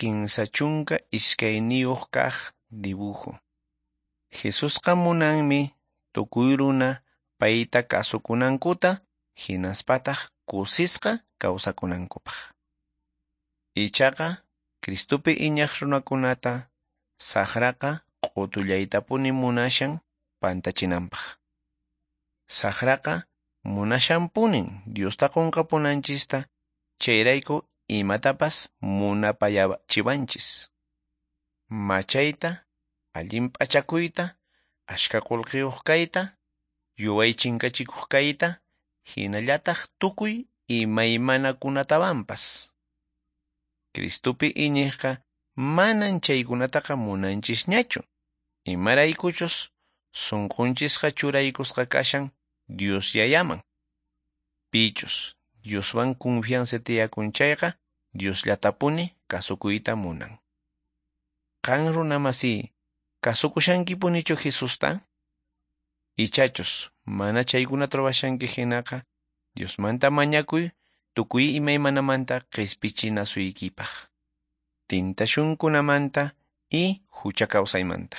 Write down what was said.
32 kaq dibujo. Jesusqa munanmi tukuy runa payta kasukunankuta hinaspataq kusisqa kawsakunankupaq. Ichaqa Cristopi iñaq runakunata saqraqa q'utullaytapuni munashan pantachinanpaq. Saqraqa munashanpunin Diosta qunqapunanchista, chayrayku imatapas munapayachiwanchis. Machayta, allin p'achakuyta, ashka qullqiyuq kayta, yuway chinkachikuq kayta, hinallataq tukuy imaymanakunatawanpas. Cristopi iñiqqa manan chaykunataqa munanchisñachu. Imaraykuchus sunqunchisqa churaykusqa kashan Dios yayaman. Pichus Dioswan confianza tiyakun chayqa Diosllatapuni kasukuyta munan. Qan runamasi, kasukushankipunichu Jesusta? Ichachus mana chaykunata ruwashanki hinaqa Diosmanta mañakuy tukuy imaymanamanta qispichinasuykipaq. Tintashunkunamanta y hucha kawsaymanta.